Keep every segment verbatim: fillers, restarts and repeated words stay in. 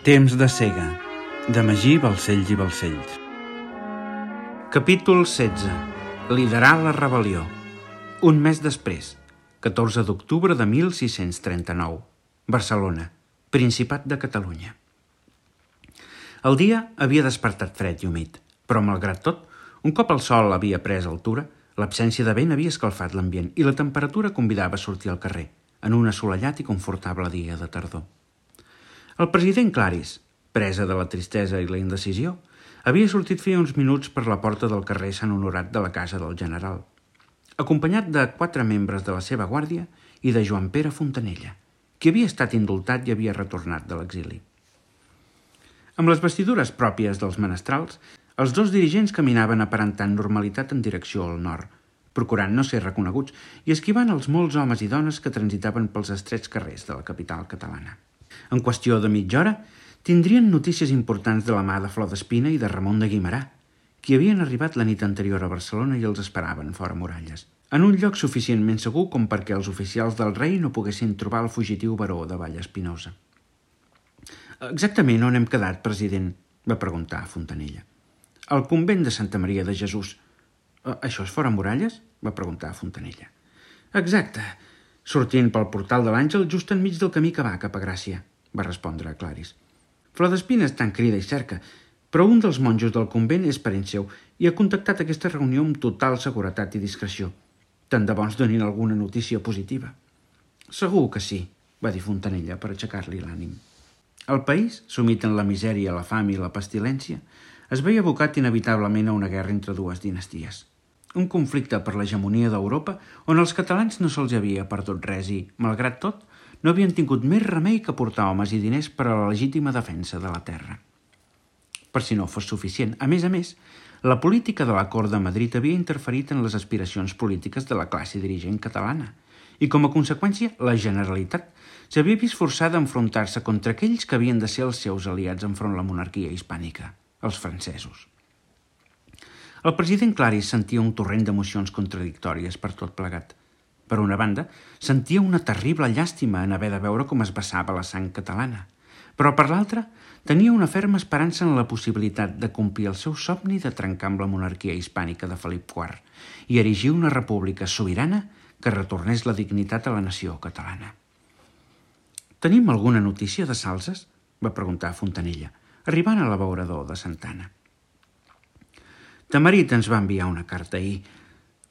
Temps de cega, de Magí Balcells i Balcells. Capítol setze. Liderar la rebel·lió. Un mes després, catorze d'octubre de mil sis-cents trenta-nou. Barcelona, Principat de Catalunya. El dia havia despertat fred i humit, però malgrat tot, un cop el sol havia pres altura, l'absència de vent havia escalfat l'ambient i la temperatura convidava a sortir al carrer, en un assolellat i confortable dia de tardor. El president Claris, presa de la tristesa i la indecisió, havia sortit feia uns minuts per la porta del carrer Sant Honorat de la casa del general, acompanyat de quatre membres de la seva guàrdia i de Joan Pere Fontanella, qui havia estat indultat i havia retornat de l'exili. Amb les vestidures pròpies dels menestrals, els dos dirigents caminaven aparentant normalitat en direcció al nord, procurant no ser reconeguts i esquivant els molts homes i dones que transitaven pels estrets carrers de la capital catalana. En qüestió de mitja hora, tindrien notícies importants de la mà de Flor d'Espina i de Ramon de Guimerà, qui havien arribat la nit anterior a Barcelona i els esperaven fora muralles, en un lloc suficientment segur com perquè els oficials del rei no poguessin trobar el fugitiu baró de Vallespinosa. «Exactament on hem quedat, president?», va preguntar a Fontanella. «Al convent de Santa Maria de Jesús». «Això és fora muralles?», va preguntar a Fontanella. «Exacte, sortint pel portal de l'Àngel just enmig del camí que va cap a Gràcia», va respondre a Claris. «Flor d'Espina està en crida i cerca, però un dels monjos del convent és parent seu i ha contactat aquesta reunió amb total seguretat i discreció. Tant de bo ens donin alguna notícia positiva». «Segur que sí», va dir Fontanella per aixecar-li l'ànim. El país, sumit en la misèria, la fam i la pestilència, es veia abocat inevitablement a una guerra entre dues dinasties. Un conflicte per l'hegemonia d'Europa on els catalans no se'ls havia perdut res i, malgrat tot, no havien tingut més remei que portar homes i diners per a la legítima defensa de la terra. Per si no fos suficient, a més a més, la política de la cort de Madrid havia interferit en les aspiracions polítiques de la classe dirigent catalana i, com a conseqüència, la Generalitat s'havia vist forçada a enfrontar-se contra aquells que havien de ser els seus aliats enfront la monarquia hispànica, els francesos. El president Claris sentia un torrent d'emocions contradictòries per tot plegat. Per una banda, sentia una terrible llàstima en haver de veure com es vessava la sang catalana, però per l'altra, tenia una ferma esperança en la possibilitat de complir el seu somni de trencar amb la monarquia hispànica de Felip quart i erigir una república sobirana que retornés la dignitat a la nació catalana. «Tenim alguna notícia de Salses?», va preguntar Fontanella, arribant a l'abeurador de Santa Anna. Tamarit ens va enviar una carta ahir.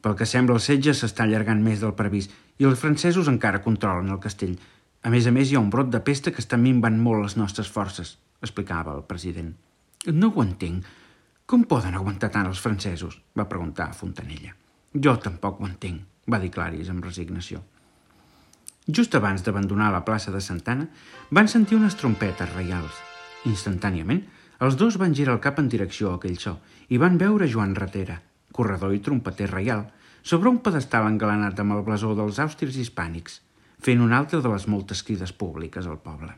Pel que sembla, el setge s'està allargant més del previst i els francesos encara controlen el castell. A més a més, hi ha un brot de pesta que està minvant molt les nostres forces, explicava el president. «No ho entenc. Com poden aguantar tant els francesos?», va preguntar a Fontanella. «Jo tampoc ho entenc», va dir Claris amb resignació. Just abans d'abandonar la plaça de Santa Anna, van sentir unes trompetes reials. Instantàniament, els dos van girar el cap en direcció a aquell so i van veure Joan Ratera, corredor i trompeter reial, sobre un pedestal engalanat amb el blasó dels àusters hispànics, fent una altra de les moltes crides públiques al poble.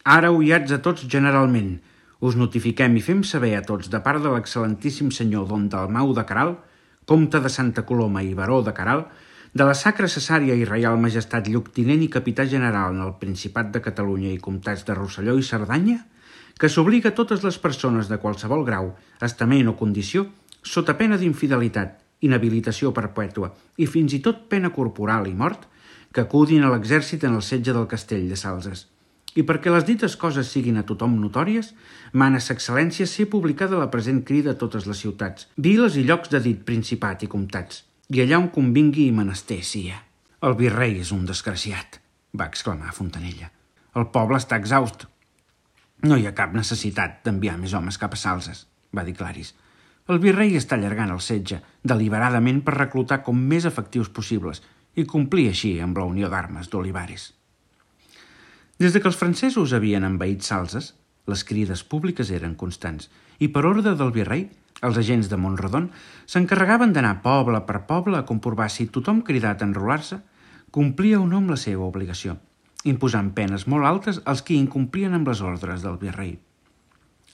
«Ara, oiats a tots generalment, us notifiquem i fem saber a tots de part de l'excel·lentíssim senyor Don Dalmau de Caral, comte de Santa Coloma i baró de Caral, de la Sacra Cesària i Reial Majestat Lloctinent i Capità General en el Principat de Catalunya i Comtats de Rosselló i Cerdanya, que s'obliga a totes les persones de qualsevol grau, estament o condició, sota pena d'infidelitat, inhabilitació perpètua i fins i tot pena corporal i mort, que acudin a l'exèrcit en el setge del castell de Salses. I perquè les dites coses siguin a tothom notòries, mana sa excel·lència ser publicada la present crida a totes les ciutats, viles i llocs de dit principat i comtats, i allà on convingui i menester sia». «El virrei és un desgraciat», va exclamar Fontanella. «El poble està exhaust». «No hi ha cap necessitat d'enviar més homes cap a Salses», va dir Claris. «El virrei està allargant el setge deliberadament per reclutar com més efectius possibles i complir així amb la unió d'armes d'Olivares». Des de que els francesos havien envaït Salses, les crides públiques eren constants i per ordre del virrei, els agents de Montrodon s'encarregaven d'anar poble per poble a comprovar si tothom cridat a enrolar-se complia o no amb la seva obligació, imposant penes molt altes als qui incomplien amb les ordres del virrei.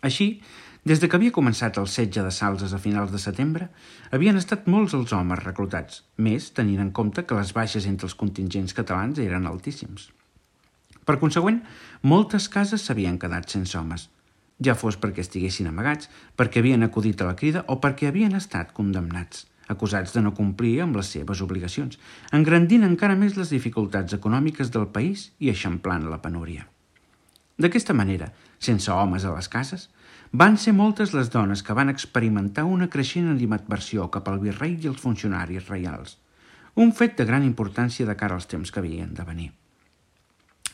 Així, des de que havia començat el setge de Salses a finals de setembre, havien estat molts els homes reclutats, més tenint en compte que les baixes entre els contingents catalans eren altíssims. Per consegüent, moltes cases s'havien quedat sense homes, ja fos perquè estiguessin amagats, perquè havien acudit a la crida o perquè havien estat condemnats, acusats de no complir amb les seves obligacions, engrandint encara més les dificultats econòmiques del país i eixamplant la penúria. D'aquesta manera, sense homes a les cases, van ser moltes les dones que van experimentar una creixent animadversió cap al virrei i els funcionaris reials, un fet de gran importància de cara als temps que havien de venir.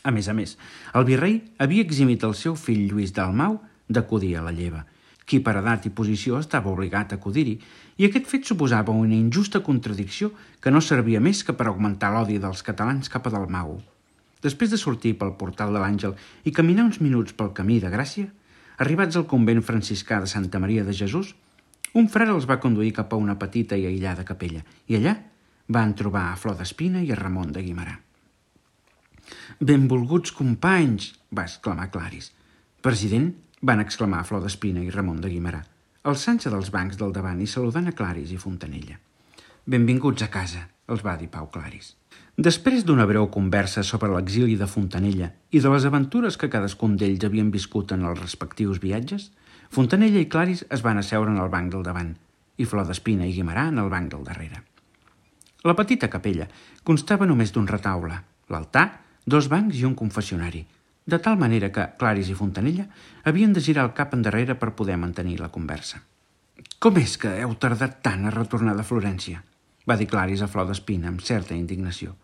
A més a més, el virrei havia eximit el seu fill Lluís Dalmau d'acudir a la lleva, qui per edat i posició estava obligat a acudir-hi, i aquest fet suposava una injusta contradicció que no servia més que per augmentar l'odi dels catalans cap a Dalmau. Després de sortir pel portal de l'Àngel i caminar uns minuts pel camí de Gràcia, arribats al convent franciscà de Santa Maria de Jesús, un frare els va conduir cap a una petita i aïllada capella, i allà van trobar a Flor d'Espina i a Ramon de Guimerà. «Benvolguts companys!», va exclamar Claris. «President!», van exclamar Flor d'Espina i Ramon de Guimerà, alçant-se dels bancs del davant i saludant a Claris i Fontanella. «Benvinguts a casa», els va dir Pau Claris. Després d'una breu conversa sobre l'exili de Fontanella i de les aventures que cadascun d'ells havien viscut en els respectius viatges, Fontanella i Claris es van asseure en el banc del davant i Flor d'Espina i Guimerà en el banc del darrere. La petita capella constava només d'un retaule, l'altar, dos bancs i un confessionari, de tal manera que Claris i Fontanella havien de girar el cap endarrere per poder mantenir la conversa. «Com és que heu tardat tant a retornar de Florència?», va dir Claris a Flor d'Espina amb certa indignació.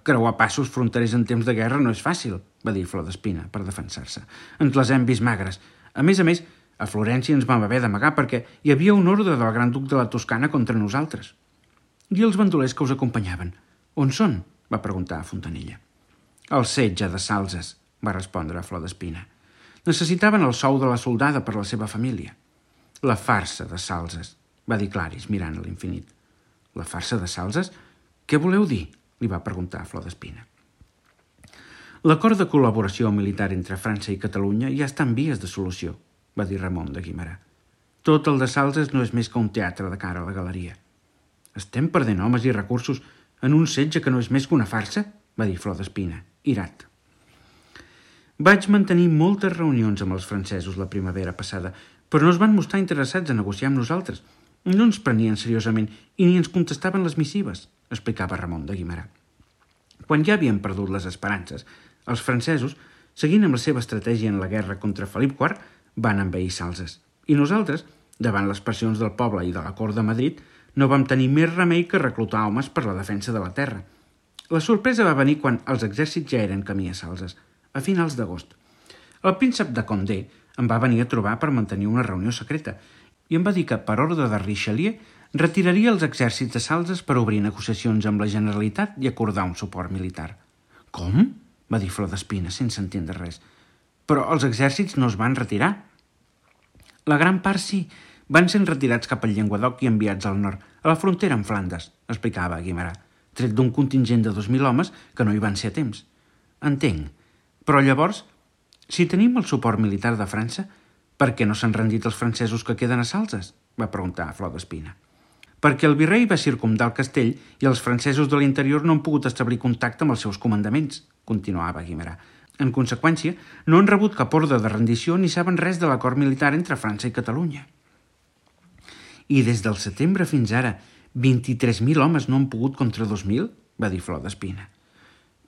«Creuar passos fronterers en temps de guerra no és fàcil», va dir Flor d'Espina per defensar-se. «Ens les hem vist magres. A més a més, a Florència ens vam haver d'amagar perquè hi havia un ordre del gran duc de la Toscana contra nosaltres». «I els bandolers que us acompanyaven? On són?», va preguntar a Fontanella. «El setge de Salses», va respondre Flor d'Espina. «Necessitaven el sou de la soldada per la seva família». «La farsa de Salses», va dir Claris mirant a l'infinit. «La farsa de Salses? Què voleu dir?», li va preguntar Flor d'Espina. «L'acord de col·laboració militar entre França i Catalunya ja està en vies de solució», va dir Ramon de Guimerà. «Tot el de Salses no és més que un teatre de cara a la galeria». «Estem perdent homes i recursos en un setge que no és més que una farsa?», va dir Flor d'Espina, irat. «Vaig mantenir moltes reunions amb els francesos la primavera passada, però no es van mostrar interessats a negociar amb nosaltres. No ens prenien seriosament i ni ens contestaven les missives», explicava Ramon de Guimerà. «Quan ja havien perdut les esperances, els francesos, seguint amb la seva estratègia en la guerra contra Felip quart, van envair Salses, i nosaltres, davant les pressions del poble i de la cort de Madrid, no vam tenir més remei que reclutar homes per la defensa de la terra. La sorpresa va venir quan els exèrcits ja eren camí a Salses, a finals d'agost. El príncep de Condé em va venir a trobar per mantenir una reunió secreta i em va dir que, per ordre de Richelieu, retiraria els exèrcits de Salses per obrir negociacions amb la Generalitat i acordar un suport militar. «Com?», va dir Flor d'Espina, sense entendre res. «Però els exèrcits no es van retirar». «La gran part sí, van ser retirats cap al Llenguadoc i enviats al nord, a la frontera amb Flandes», explicava Guimerà, tret d'un contingent de dos mil homes que no hi van ser a temps. «Entenc. Però llavors, si tenim el suport militar de França, per què no s'han rendit els francesos que queden a Salses?», va preguntar Flor d'Espina. «Perquè el virrei va circumdar el castell i els francesos de l'interior no han pogut establir contacte amb els seus comandaments», continuava Guimerà. «En conseqüència, no han rebut cap ordre de rendició ni saben res de l'acord militar entre França i Catalunya». «I des del setembre fins ara, vint-i-tres mil homes no han pogut contra dos mil?», va dir Flor d'Espina.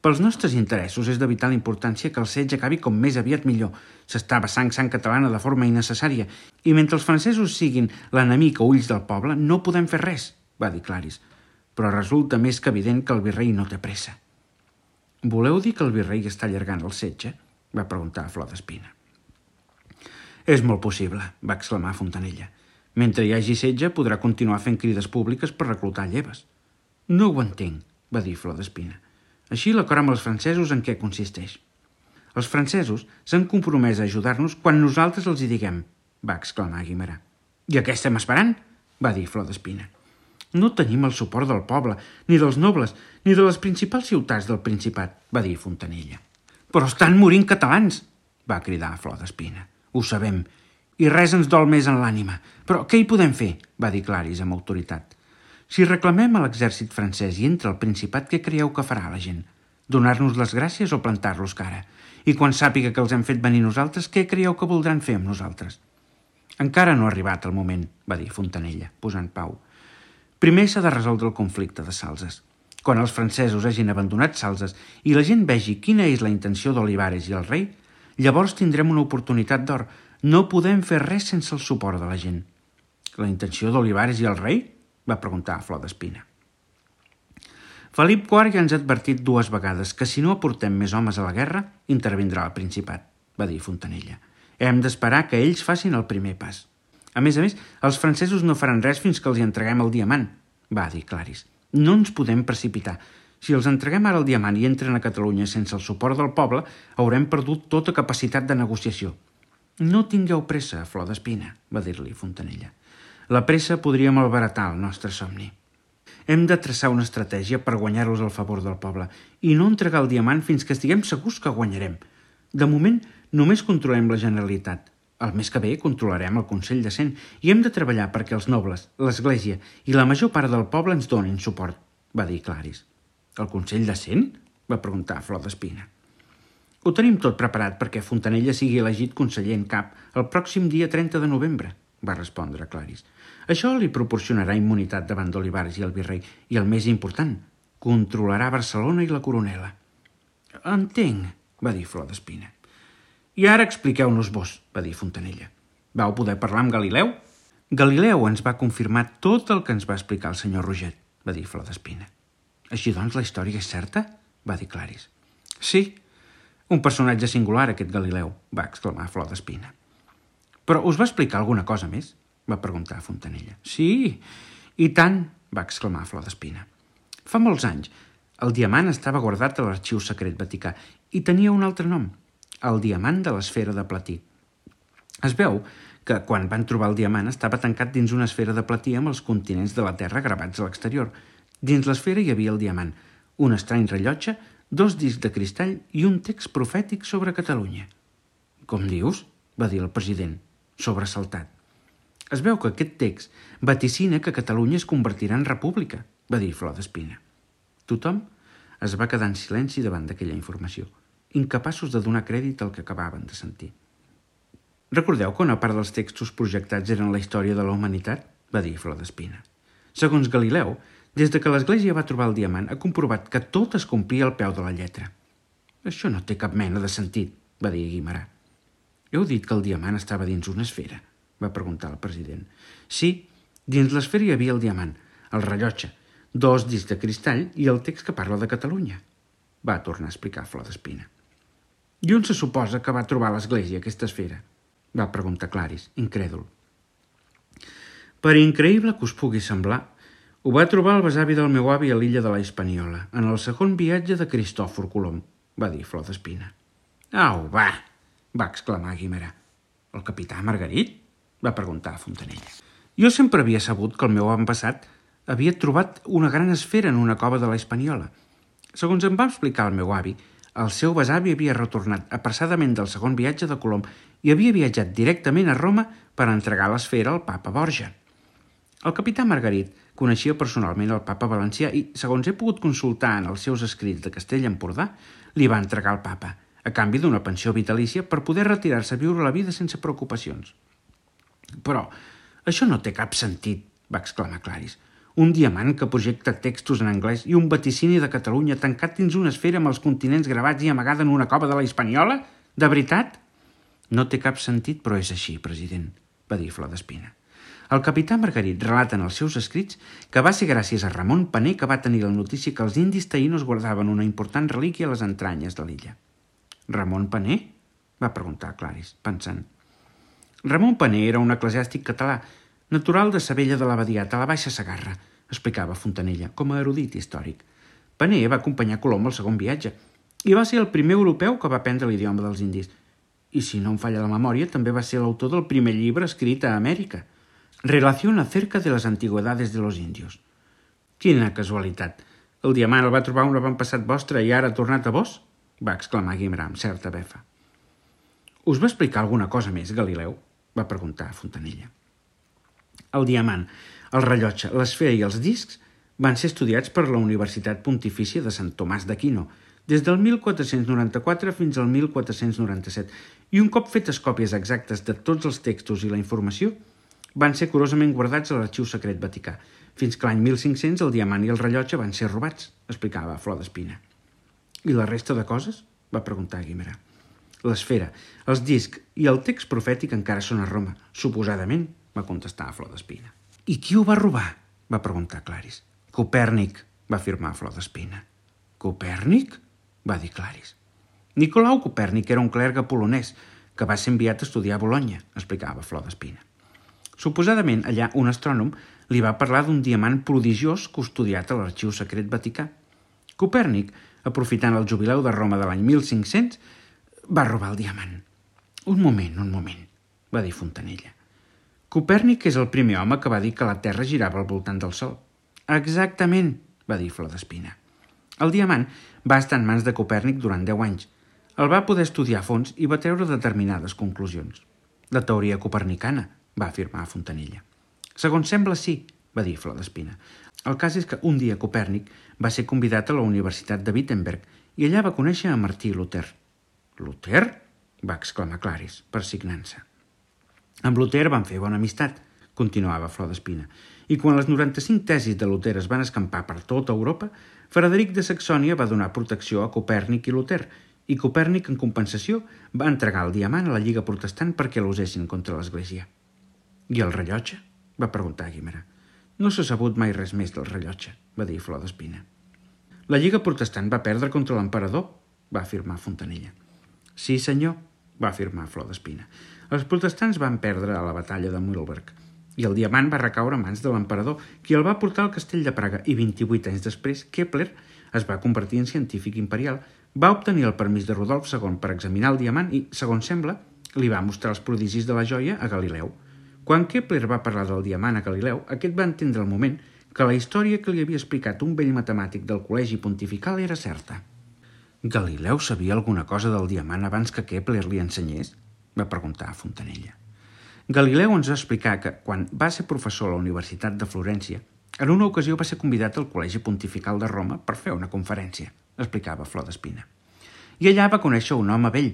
«Pels nostres interessos és de vital importància que el setge acabi com més aviat millor. S'està vessant sang catalana de forma innecessària i mentre els francesos siguin l'enemic a ulls del poble no podem fer res», va dir Claris. «Però resulta més que evident que el virrei no té pressa». «Voleu dir que el virrei està allargant el setge?», va preguntar Flor d'Espina. «És molt possible», va exclamar Fontanella. «Mentre hi hagi setge podrà continuar fent crides públiques per reclutar lleves». «No ho entenc», va dir Flor d'Espina. «Així l'acord amb els francesos en què consisteix?» «Els francesos s'han compromès a ajudar-nos quan nosaltres els hi diguem», va exclamar Guimerà. «I a què estem esperant?», va dir Flor d'Espina. «No tenim el suport del poble, ni dels nobles, ni de les principals ciutats del Principat», va dir Fontanella. «Però estan morint catalans», va cridar Flor d'Espina. «Ho sabem, i res ens dol més en l'ànima. Però què hi podem fer?», va dir Claris amb autoritat. «Si reclamem a l'exèrcit francès i entra al Principat, què creieu que farà la gent? Donar-nos les gràcies o plantar-los cara? I quan sàpiga que els hem fet venir nosaltres, què creieu que voldran fer amb nosaltres? Encara no ha arribat el moment, va dir Fontanella, posant pau. Primer s'ha de resoldre el conflicte de Salses. Quan els francesos hagin abandonat Salses i la gent vegi quina és la intenció d'Olivares i el rei, llavors tindrem una oportunitat d'or. No podem fer res sense el suport de la gent. La intenció d'Olivares i el rei? Va preguntar a Flor d'Espina. Felip quart ja ens ha advertit dues vegades que si no aportem més homes a la guerra, intervindrà el Principat, va dir Fontanella. Hem d'esperar que ells facin el primer pas. A més a més, els francesos no faran res fins que els hi entreguem el diamant, va dir Claris. No ens podem precipitar. Si els entreguem ara el diamant i entren a Catalunya sense el suport del poble, haurem perdut tota capacitat de negociació. No tingueu pressa, Flor d'Espina, va dir-li Fontanella. La pressa podria malbaratar el nostre somni. Hem de traçar una estratègia per guanyar-los al favor del poble i no entregar el diamant fins que estiguem segurs que guanyarem. De moment, només controlem la Generalitat. El mes que ve controlarem el Consell de Cent i hem de treballar perquè els nobles, l'Església i la major part del poble ens donin suport, va dir Claris. El Consell de Cent? Va preguntar Flor d'Espina. Ho tenim tot preparat perquè Fontanella sigui elegit conseller en cap el pròxim dia trenta de novembre, va respondre Claris. Això li proporcionarà immunitat davant d'Olivares i el virrei i, el més important, controlarà Barcelona i la coronela. Entenc, va dir Flor d'Espina. I ara expliqueu-nos vos, va dir Fontanella. Vau poder parlar amb Galileu? Galileu ens va confirmar tot el que ens va explicar el senyor Roget, va dir Flor d'Espina. Així doncs la història és certa? Va dir Claris. Sí, un personatge singular aquest Galileu, va exclamar Flor d'Espina. Però us va explicar alguna cosa més? Va preguntar Fontanella. Sí, i tant, va exclamar Flor d'Espina. Fa molts anys, el diamant estava guardat a l'arxiu secret vaticà i tenia un altre nom, el diamant de l'esfera de platí. Es veu que quan van trobar el diamant estava tancat dins una esfera de platí amb els continents de la Terra gravats a l'exterior. Dins l'esfera hi havia el diamant, un estrany rellotge, dos discs de cristall i un text profètic sobre Catalunya. Com dius? Va dir el president, sobresaltat. Es veu que aquest text vaticina que Catalunya es convertirà en república, va dir Flor d'Espina. Tothom es va quedar en silenci davant d'aquella informació, incapaços de donar crèdit al que acabaven de sentir. Recordeu que una part dels textos projectats eren la història de la humanitat? Va dir Flor d'Espina. Segons Galileu, des de que l'Església va trobar el diamant, ha comprovat que tot es complia al peu de la lletra. Això no té cap mena de sentit, va dir Guimerà. Heu dit que el diamant estava dins una esfera? Va preguntar el president. Sí, dins l'esfera hi havia el diamant, el rellotge, dos discs de cristall i el text que parla de Catalunya, va tornar a explicar Flor d'Espina. I on se suposa que va trobar l'Església aquesta esfera? Va preguntar Claris, incrèdul. Per increïble que us pugui semblar, ho va trobar el besavi del meu avi a l'illa de la Hispaniola, en el segon viatge de Cristòfor Colom, va dir Flor d'Espina. Au, va, va exclamar Guimerà. El capità Margarit? Va preguntar a Fontanella. Jo sempre havia sabut que el meu avantpassat havia trobat una gran esfera en una cova de la Hispaniola. Segons em va explicar el meu avi, el seu besavi havia retornat apressadament del segon viatge de Colom i havia viatjat directament a Roma per entregar l'esfera al papa Borja. El capità Margarit coneixia personalment el papa valencià i, segons he pogut consultar en els seus escrits de Castell-Empordà, li va entregar al papa, a canvi d'una pensió vitalícia per poder retirar-se a viure la vida sense preocupacions. Però això no té cap sentit, va exclamar Claris. Un diamant que projecta textos en anglès i un vaticini de Catalunya tancat dins una esfera amb els continents gravats i amagada en una cova de la Hispaniola? De veritat? No té cap sentit, però és així, president, va dir Flor d'Espina. El capità Margarit relata en els seus escrits que va ser gràcies a Ramon Paner que va tenir la notícia que els indis taïnos guardaven una important relíquia a les entranyes de l'illa. Ramon Paner? Va preguntar Claris, pensant. Ramon Paner era un eclesiàstic català, natural de Sabella de l'Abadiat, a la Baixa Segarra, explicava Fontanella, com a erudit històric. Paner va acompanyar Colom al segon viatge i va ser el primer europeu que va aprendre l'idioma dels indis. I si no em falla la memòria, també va ser l'autor del primer llibre escrit a Amèrica, Relación acerca de las antigüedades de los indios. Quina casualitat! El diamant el va trobar un avantpassat vostre i ara ha tornat a vos? Va exclamar Guimerà amb certa befa. Us va explicar alguna cosa més, Galileu? Va preguntar a Fontanella. El diamant, el rellotge, l'esfera i els discs van ser estudiats per la Universitat Pontifícia de Sant Tomàs d'Aquino, des del mil quatre-cents noranta-quatre fins al mil quatre-cents noranta-set, i un cop fetes còpies exactes de tots els textos i la informació, van ser curosament guardats a l'Arxiu Secret Vaticà, fins que l'any mil cinc-cents el diamant i el rellotge van ser robats, explicava Flor d'Espina. I la resta de coses? Va preguntar Guimerà. L'esfera, els discs i el text profètic encara són a Roma, suposadament, va contestar Flor d'Espina. I qui ho va robar? Va preguntar Claris. Copèrnic, va afirmar Flor d'Espina. Copèrnic? Va dir Claris. Nicolau Copèrnic era un clergue polonès que va ser enviat a estudiar a Bologna, explicava Flor d'Espina. Suposadament, allà un astrònom li va parlar d'un diamant prodigiós custodiat a l'Arxiu Secret Vaticà. Copèrnic, aprofitant el jubileu de Roma de l'any mil cinc-cents, va robar el diamant. Un moment, un moment, va dir Fontanella. Copèrnic és el primer home que va dir que la Terra girava al voltant del Sol. Exactament, va dir Flor d'Espina. El diamant va estar en mans de Copèrnic durant deu anys. El va poder estudiar a fons i va treure determinades conclusions. La teoria copernicana, va afirmar Fontanella. Segons sembla, sí, va dir Flor d'Espina. El cas és que un dia Copèrnic va ser convidat a la Universitat de Wittenberg i allà va conèixer a Martí Luter. Luter? Va exclamar Claris, persignant-se. Amb Luter van fer bona amistat, continuava Flor d'Espina, i quan les noranta-cinc tesis de Luter es van escampar per tota Europa, Frederic de Saxònia va donar protecció a Copèrnic i Luter, i Copèrnic, en compensació, va entregar el diamant a la Lliga Protestant perquè l'usessin contra l'Església. I el rellotge? Va preguntar Guimerà. No s'ha sabut mai res més del rellotge, va dir Flor d'Espina. La Lliga Protestant va perdre contra l'emperador, va afirmar Fontanella. Sí, senyor, va afirmar Flor d'Espina. Els protestants van perdre a la batalla de Mühlberg i el diamant va recaure a mans de l'emperador, qui el va portar al castell de Praga i vint-i-vuit anys després Kepler es va convertir en científic imperial, va obtenir el permís de Rodolf segon per examinar el diamant i, segons sembla, li va mostrar els prodigis de la joia a Galileu. Quan Kepler va parlar del diamant a Galileu, aquest va entendre al moment que la història que li havia explicat un vell matemàtic del Col·legi Pontifical era certa. Galileu sabia alguna cosa del diamant abans que Kepler li ensenyés? Va preguntar a Fontanella. Galileu ens va explicar que, quan va ser professor a la Universitat de Florència, en una ocasió va ser convidat al Col·legi Pontifical de Roma per fer una conferència, explicava Flor d'Espina. I allà va conèixer un home vell,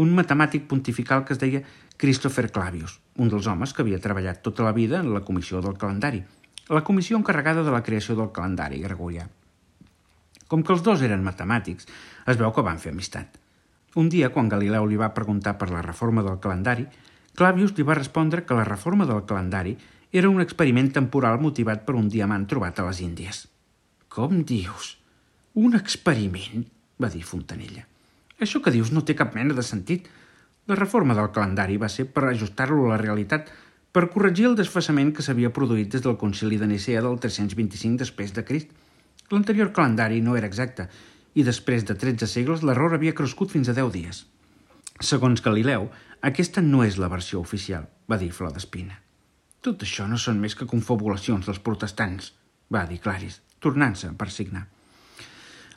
un matemàtic pontifical que es deia Christopher Clavius, un dels homes que havia treballat tota la vida en la comissió del calendari, la comissió encarregada de la creació del calendari gregorià. Com que els dos eren matemàtics, es veu que van fer amistat. Un dia, quan Galileu li va preguntar per la reforma del calendari, Clavius li va respondre que la reforma del calendari era un experiment temporal motivat per un diamant trobat a les Índies. Com dius? Un experiment? Va dir Fontanella. Això que dius no té cap mena de sentit. La reforma del calendari va ser per ajustar-lo a la realitat, per corregir el desfasament que s'havia produït des del concili de Nicea del tres-cents vint-i-cinc després de Crist. L'anterior calendari no era exacte, i després de tretze segles l'error havia crescut fins a deu dies. Segons Galileu, aquesta no és la versió oficial, va dir Flor d'Espina. Tot això no són més que confabulacions dels protestants, va dir Claris, tornant-se per signar.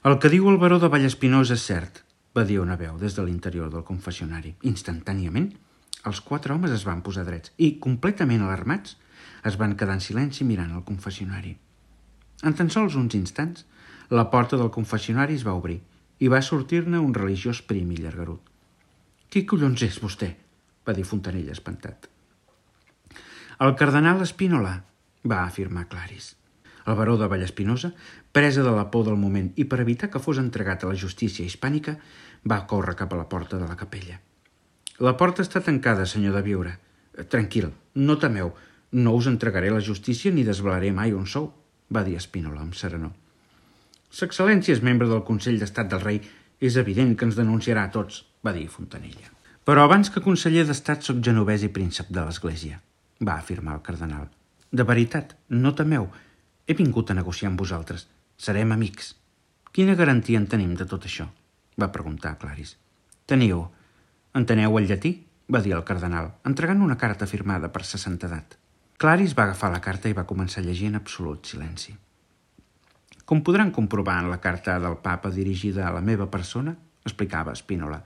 El que diu el baró de Vallespinosa és cert, va dir una veu des de l'interior del confessionari. Instantàniament, els quatre homes es van posar drets i, completament alarmats, es van quedar en silenci mirant el confessionari. En tan sols uns instants, la porta del confessionari es va obrir i va sortir-ne un religiós prim i llargarut. «Qui collons és vostè?», va dir Fontanella espantat. «El cardenal Spínola», va afirmar Claris. El baró de Vallespinosa, presa de la por del moment i per evitar que fos entregat a la justícia hispànica, va córrer cap a la porta de la capella. «La porta està tancada, senyor de Biure. Tranquil, no temeu, no us entregaré a la justícia ni desvelaré mai on sou», va dir Spínola amb serenor. «S'excel·lència és membre del Consell d'Estat del Rei. És evident que ens denunciarà a tots», va dir Fontanella. «Però abans que conseller d'Estat soc genovès i príncep de l'Església», va afirmar el cardenal. «De veritat, no temeu. He vingut a negociar amb vosaltres. Serem amics». «Quina garantia en tenim de tot això?», va preguntar Claris. «Teniu. Enteneu el llatí?», va dir el cardenal, entregant una carta firmada per sa santedat. Claris va agafar la carta i va començar a llegir en absolut silenci. «Com podran comprovar en la carta del papa dirigida a la meva persona», explicava Spínola,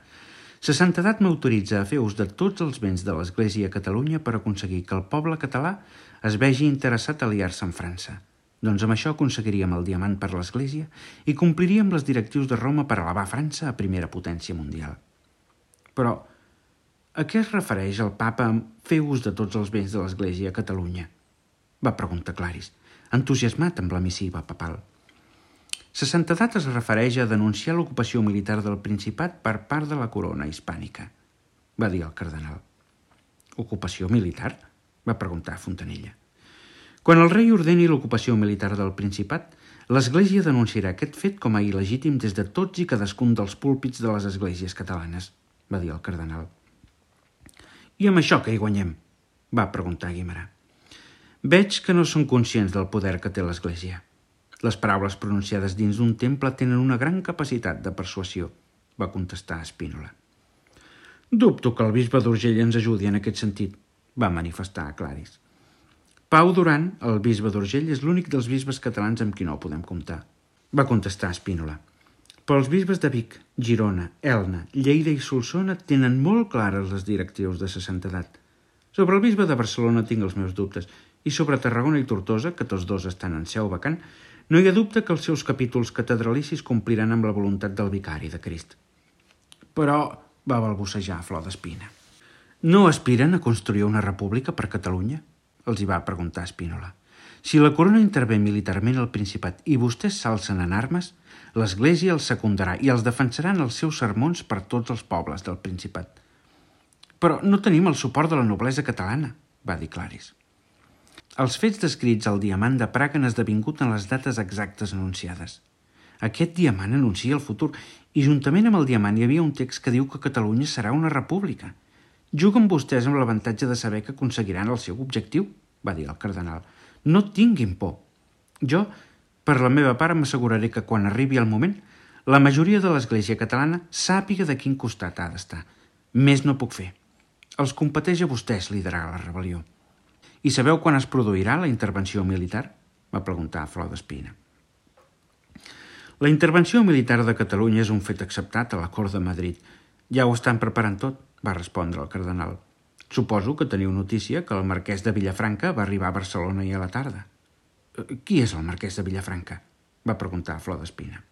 «sa santedat m'autoritza a fer ús de tots els béns de l'Església a Catalunya per aconseguir que el poble català es vegi interessat a aliar-se amb França. Doncs amb això aconseguiríem el diamant per l'Església i compliríem les directius de Roma per elevar França a primera potència mundial. Però a què es refereix el papa amb fer ús de tots els béns de l'Església a Catalunya? Va preguntar Claris, entusiasmat amb la missiva papal. Sa santedat es refereix a denunciar l'ocupació militar del Principat per part de la corona hispànica, va dir el cardenal. Ocupació militar? Va preguntar Fontanella. Quan el rei ordeni l'ocupació militar del Principat, l'Església denunciarà aquest fet com a il·legítim des de tots i cadascun dels púlpits de les esglésies catalanes, va dir el cardenal. I amb això què hi guanyem? Va preguntar Guimerà. Veig que no són conscients del poder que té l'Església. Les paraules pronunciades dins d'un temple tenen una gran capacitat de persuasió, va contestar Spínola. Dubto que el bisbe d'Urgell ens ajudi en aquest sentit, va manifestar Claris. Pau Duran, el bisbe d'Urgell, és l'únic dels bisbes catalans amb qui no podem comptar, va contestar Spínola. Però els bisbes de Vic, Girona, Elna, Lleida i Solsona tenen molt clares les directrius de sa santedat. Sobre el bisbe de Barcelona tinc els meus dubtes, i sobre Tarragona i Tortosa, que tots dos estan en seu vacant, no hi ha dubte que els seus capítols catedralicis compliran amb la voluntat del vicari de Crist. Però, va balbucejar Flor d'Espina, no aspiren a construir una república per Catalunya? Els hi va preguntar Spínola. Si la corona intervé militarment al Principat i vostès s'alcen en armes, l'Església els secundarà i els defensarà en els seus sermons per tots els pobles del Principat. Però no tenim el suport de la noblesa catalana, va dir Claris. Els fets descrits al diamant de Praga han esdevingut en les dates exactes anunciades. Aquest diamant anuncia el futur i juntament amb el diamant hi havia un text que diu que Catalunya serà una república. Juguen vostès amb l'avantatge de saber que aconseguiran el seu objectiu, va dir el cardenal. No tinguin por. Jo, per la meva part, m'asseguraré que quan arribi el moment, la majoria de l'Església catalana sàpiga de quin costat ha d'estar. Més no puc fer. Els competeix a vostès liderar la rebel·lió. I sabeu quan es produirà la intervenció militar? Va preguntar Flor d'Espina. La intervenció militar de Catalunya és un fet acceptat a la Cort de Madrid. Ja ho estan preparant tot, va respondre el cardenal. Suposo que teniu notícia que el marquès de Vilafranca va arribar a Barcelona ahir a la tarda. Qui és el marquès de Vilafranca? Va preguntar Flor d'Espina.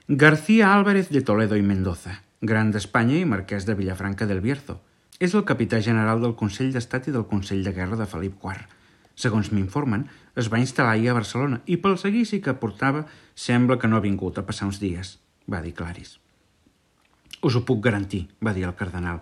García Álvarez de Toledo i Mendoza, gran d'Espanya i marquès de Vilafranca del Bierzo. És el capità general del Consell d'Estat i del Consell de Guerra de Felip quart. Segons m'informen, es va instal·lar ahir a Barcelona i pel seguici que portava sembla que no ha vingut a passar uns dies, va dir Claris. Us ho puc garantir, va dir el cardenal.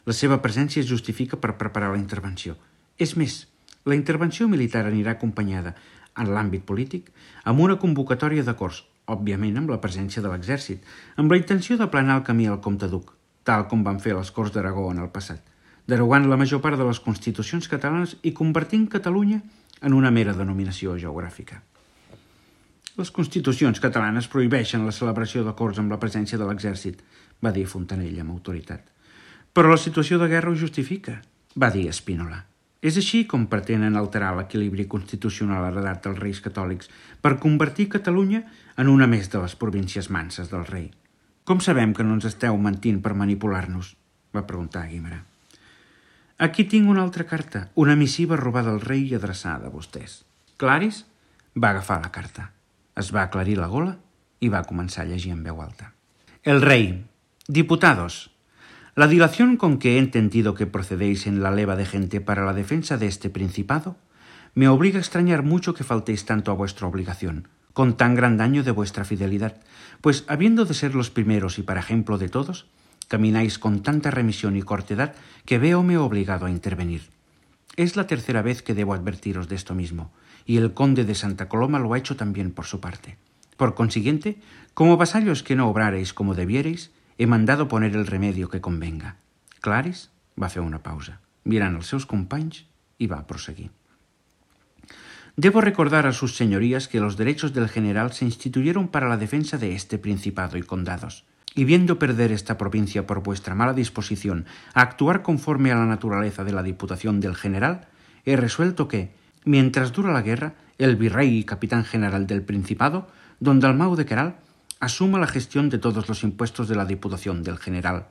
La seva presència es justifica per preparar la intervenció. És més, la intervenció militar anirà acompanyada, en l'àmbit polític, amb una convocatòria d'acords, òbviament amb la presència de l'exèrcit, amb la intenció d'aplanar el camí al comte duc, tal com van fer les Corts d'Aragó en el passat, derogant la major part de les constitucions catalanes i convertint Catalunya en una mera denominació geogràfica. Les constitucions catalanes prohibeixen la celebració d'acords amb la presència de l'exèrcit, va dir Fontanella amb autoritat. Però la situació de guerra ho justifica, va dir Spínola. És així com pretenen alterar l'equilibri constitucional heredat dels reis catòlics per convertir Catalunya en una més de les províncies manses del rei. Com sabem que no ens esteu mentint per manipular-nos? Va preguntar Guimerà. Aquí tinc una altra carta, una missiva robada al rei i adreçada a vostès. Claris va agafar la carta, es va aclarir la gola y va a comenzar a llegir en veu alta. El rey. Diputados, la dilación con que he entendido que procedéis en la leva de gente para la defensa de este principado me obliga a extrañar mucho que faltéis tanto a vuestra obligación, con tan gran daño de vuestra fidelidad, pues habiendo de ser los primeros y para ejemplo de todos, camináis con tanta remisión y cortedad que véome obligado a intervenir. Es la tercera vez que debo advertiros de esto mismo, y el conde de Santa Coloma lo ha hecho también por su parte. Por consiguiente, como vasallos que no obrareis como debierais, he mandado poner el remedio que convenga. Claris va fer una pausa, mirant els seus companys, y va a proseguir. Debo recordar a sus señorías que los derechos del general se instituyeron para la defensa de este principado y condados, y viendo perder esta provincia por vuestra mala disposición a actuar conforme a la naturaleza de la diputación del general, he resuelto que, mientras dura la guerra, el virrey y capitán general del Principado, don Dalmau de Queral, asuma la gestión de todos los impuestos de la diputación del general,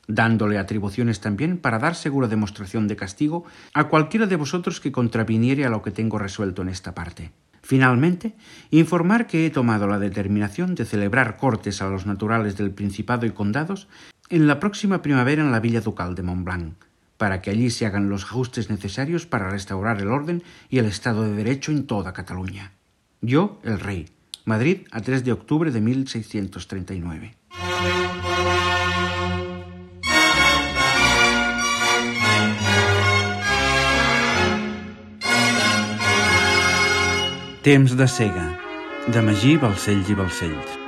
dándole atribuciones también para dar segura demostración de castigo a cualquiera de vosotros que contraviniere a lo que tengo resuelto en esta parte. Finalmente, informar que he tomado la determinación de celebrar cortes a los naturales del Principado y Condados en la próxima primavera en la Villa Ducal de Montblanc, para que allí se hagan los ajustes necesarios para restaurar el orden y el Estado de Derecho en toda Cataluña. Yo, el rey. Madrid, a tres de octubre de mil seiscientos treinta y nueve. Temps de cega, de Magí Balcells i Balcells.